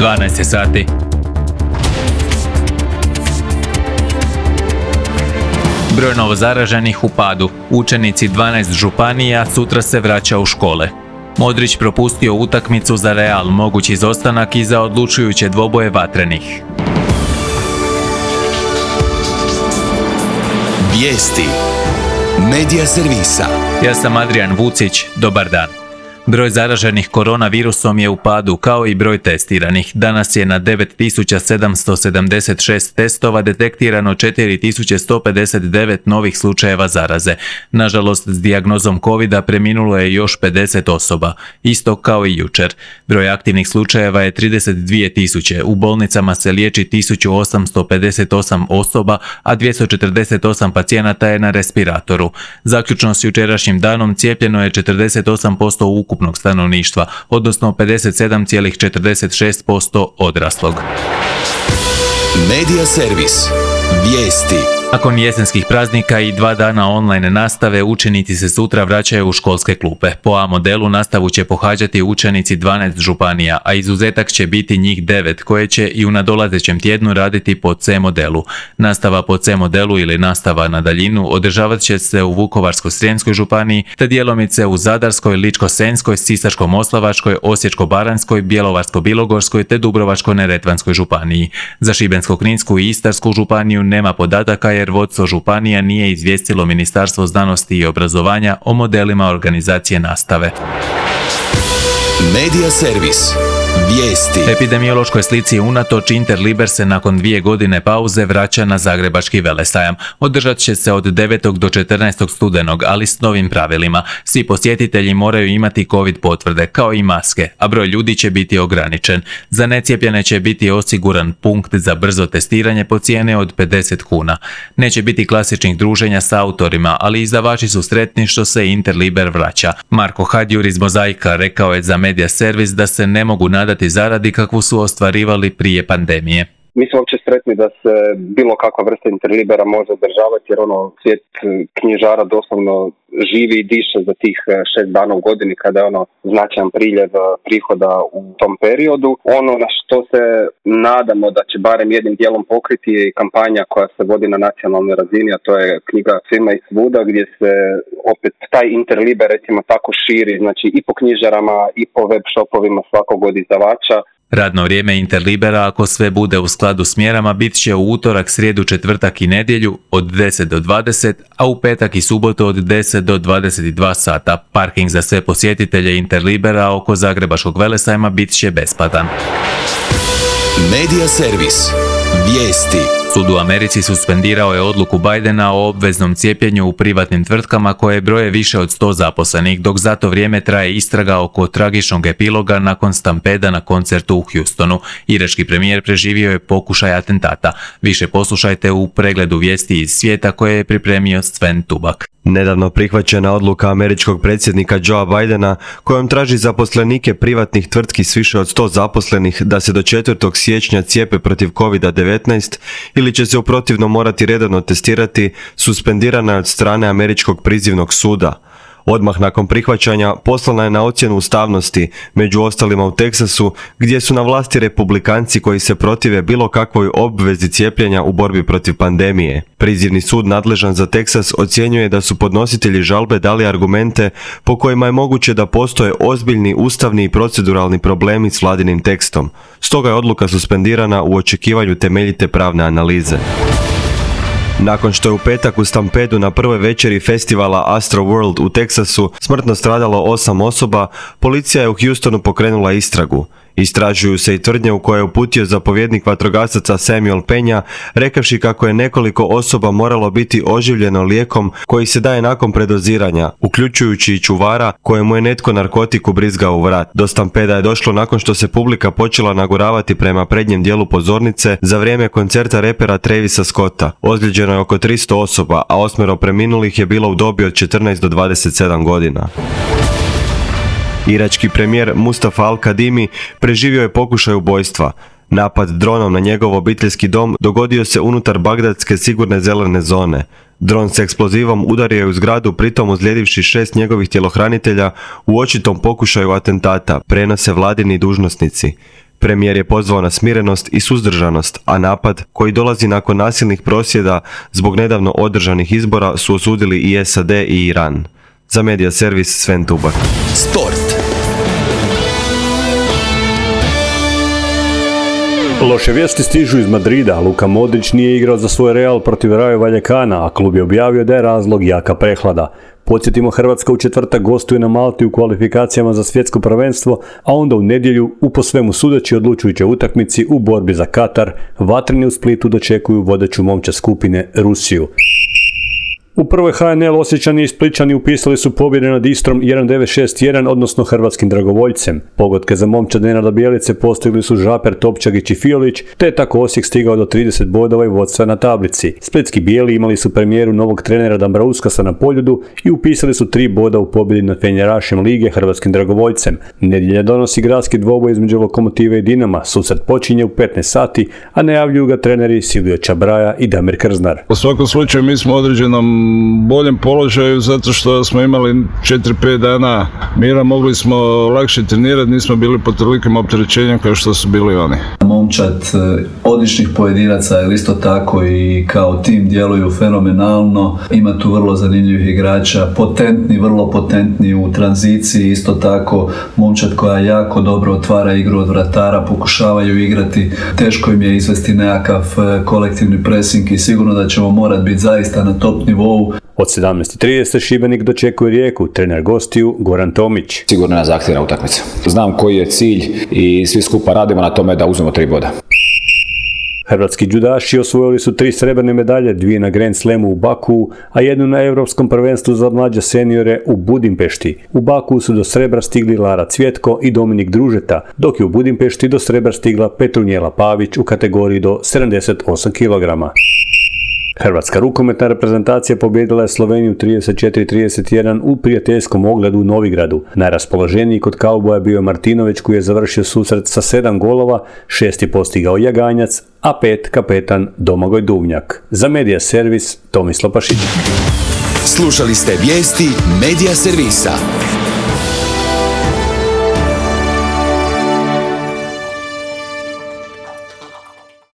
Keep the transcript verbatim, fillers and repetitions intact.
dvanaest sati. Broj novozaraženih u padu. Učenici dvanaest županija sutra se vraća u škole. Modrić propustio utakmicu za Real, mogući izostanak i za odlučujuće dvoboje vatrenih. Vijesti Medija servisa. Ja sam Adrian Vucić, dobar dan. Broj zaraženih koronavirusom je u padu, kao i broj testiranih. Danas je na devet tisuća sedamsto sedamdeset šest testova detektirano četiri tisuće sto pedeset devet novih slučajeva zaraze. Nažalost, s dijagnozom covida preminulo je još pedeset osoba, isto kao i jučer. Broj aktivnih slučajeva je trideset dvije tisuće, u bolnicama se liječi tisuću osamsto pedeset osam osoba, a dvjesto četrdeset osam pacijenata je na respiratoru. Zaključno s jučerašnjim danom cijepljeno je četrdeset osam posto ukupnog ukupnog stanovništva, odnosno pedeset sedam zarez četrdeset šest posto odraslog. Medija servis. Vijesti. Nakon jesenskih praznika i dva dana online nastave, učenici se sutra vraćaju u školske klupe. Po A modelu nastavu će pohađati učenici dvanaest županija, a izuzetak će biti njih devet, koje će i u nadolazećem tjednu raditi po C modelu. Nastava po C modelu ili nastava na daljinu održavat će se u Vukovarsko-srijemskoj županiji, te djelomice u Zadarskoj, Ličko-senjskoj, Sisačko-moslavačkoj, Osječko-baranjskoj, Bjelovarsko-bilogorskoj te Dubrovačko-neretvanskoj županiji. Za Šibensko-kninsku i Istarsku županiju nema podataka jer vodstvo županija nije izvijestilo Ministarstvo znanosti i obrazovanja o modelima organizacije nastave. Medija servis. Vijesti. Epidemiološkoj slici unatoč Interliber se nakon dvije godine pauze vraća na Zagrebački velesajam. Održat će se od devetog do četrnaestog studenog, ali s novim pravilima. Svi posjetitelji moraju imati COVID potvrde, kao i maske, a broj ljudi će biti ograničen. Za necijepljene će biti osiguran punkt za brzo testiranje po cijene od pedeset kuna. Neće biti klasičnih druženja sa autorima, ali izdavači su sretni što se Interliber vraća. Marko Hadjur iz Mozaika rekao je za Medija servis da se ne mogu nadati zaradi kakvu su ostvarivali prije pandemije. Mi smo uopće sretni da se bilo kakva vrsta Interlibera može održavati, jer ono, svijet knjižara doslovno živi i diše za tih šest dana u godini kada je ono značajan priljev prihoda u tom periodu. Ono na što se nadamo da će barem jednim dijelom pokriti je kampanja koja se vodi na nacionalnoj razini, a to je knjiga Svima i svuda, gdje se opet taj Interliber recimo tako širi, znači i po knjižarama i po web shopovima svakog od izdavača. Radno vrijeme Interlibera, ako sve bude u skladu s mjerama, bit će u utorak, srijedu, četvrtak i nedjelju od deset do dvadeset, a u petak i subotu od deset do dvadeset dva sata. Parking za sve posjetitelje Interlibera oko Zagrebačkog velesajma bit će besplatan. Medija servis. Vijesti. Sud u Americi suspendirao je odluku Bidena o obveznom cijepljenju u privatnim tvrtkama koje broje više od sto zaposlenih, dok za to vrijeme traje istraga oko tragičnog epiloga nakon stampeda na koncertu u Houstonu. Irački premijer preživio je pokušaj atentata. Više poslušajte u pregledu vijesti iz svijeta koje je pripremio Sven Tubak. Nedavno prihvaćena odluka američkog predsjednika Joea Bidena kojom traži zaposlenike privatnih tvrtki s više od sto zaposlenih da se do četvrtog siječnja cijepe protiv kovid devetnaest ili će se u protivnom morati redovno testirati, suspendirana je od strane američkog prizivnog suda. Odmah nakon prihvaćanja poslana je na ocjenu ustavnosti, među ostalima u Teksasu, gdje su na vlasti republikanci koji se protive bilo kakvoj obvezi cijepljenja u borbi protiv pandemije. Prizivni sud nadležan za Teksas ocjenjuje da su podnositelji žalbe dali argumente po kojima je moguće da postoje ozbiljni ustavni i proceduralni problemi s vladinim tekstom. Stoga je odluka suspendirana u očekivanju temeljite pravne analize. Nakon što je u petak u stampedu na prvoj večeri festivala Astro World u Teksasu smrtno stradalo osam osoba, policija je u Houstonu pokrenula istragu. Istražuju se i tvrdnje u koje je uputio zapovjednik vatrogasaca Samuel Penja, rekavši kako je nekoliko osoba moralo biti oživljeno lijekom koji se daje nakon predoziranja, uključujući i čuvara kojemu je netko narkotik ubrizgao u vrat. Do stampeda je došlo nakon što se publika počela naguravati prema prednjem dijelu pozornice za vrijeme koncerta repera Travisa Scotta. Ozlijeđeno je oko tristo osoba, a osmero preminulih je bilo u dobi od četrnaest do dvadeset sedam godina. Irački premijer Mustafa Al-Kadimi preživio je pokušaj ubojstva. Napad dronom na njegov obiteljski dom dogodio se unutar bagdadske sigurne zelene zone. Dron s eksplozivom udario je u zgradu, pritom ozlijedivši šest njegovih tjelohranitelja u očitom pokušaju atentata, prenose vladini dužnosnici. Premijer je pozvao na smirenost i suzdržanost, a napad, koji dolazi nakon nasilnih prosvjeda zbog nedavno održanih izbora, su osudili i S A D i Iran. Za Media Servis Sven Tubar. Sport. Loše vijesti stižu iz Madrida. Luka Modrić nije igrao za svoj Real protiv Rayo Vallecana, a klub je objavio da je razlog jaka prehlada. Podsjetimo, Hrvatska u četvrtak gostuje na Malti u kvalifikacijama za svjetsko prvenstvo, a onda u nedjelju u po svemu sudeći odlučujućoj utakmici u borbi za Katar, vatreni u Splitu dočekuju vodeću momčad skupine Rusiju. U prvoj H N L Osječani i Splićani upisali su pobjede nad Istrom jedan devet šest jedan, odnosno hrvatskim dragovoljcem. Pogodke za momčad Nenada Bjelice postigli su Žaper, Topčagić i Fiolić, te je tako Osijek stigao do trideset bodova i vodstva na tablici. Splitski bijeli imali su premijeru novog trenera Dambrauskasa na Poljudu i upisali su tri boda u pobjedi nad fenjerašem lige hrvatskim dragovoljcem. Nedjelja donosi gradski dvoboj između Lokomotive i Dinama. Susret počinje u petnaest sati, a najavljuju ga treneri Silvio Čabraja i Damir Krznar. U svakom slučaju mi smo u određenom boljem položaju zato što smo imali četiri pet dana mira, mogli smo lakše trenirati, nismo bili pod tolikim opterećenjem kao što su bili oni. Momčad odličnih pojedinaca, ali isto tako i kao tim djeluju fenomenalno. Ima tu vrlo zanimljivih igrača, potentni, vrlo potentni u tranziciji, isto tako momčad koja jako dobro otvara igru od vratara, pokušavaju igrati, teško im je izvesti nekakav kolektivni pressing i sigurno da ćemo morati biti zaista na top nivou. Od sedamnaest i trideset Šibenik dočekuje Rijeku, trener gostiju Goran Tomić. Sigurno je zahtjevna utakmica. Znam koji je cilj i svi skupa radimo na tome da uzmemo tri boda. Hrvatski džudaši osvojili su tri srebrne medalje, dvije na Grand Slamu u Baku, a jednu na Europskom prvenstvu za mlađe seniore u Budimpešti. U Baku su do srebra stigli Lara Cvjetko i Dominik Družeta, dok je u Budimpešti do srebra stigla Petrunjela Pavić u kategoriji do sedamdeset osam kilograma. Hrvatska rukometna reprezentacija pobijedila je Sloveniju trideset četiri trideset jedan u prijateljskom ogledu u Novigradu. Najraspoloženiji kod kauboja bio je Martinović, koji je završio susret sa sedam golova, šest je postigao Jaganjac, a pet kapetan Domagoj Duvnjak. Za Media Servis Tomislav Pašić. Slušali ste vijesti Media Servisa.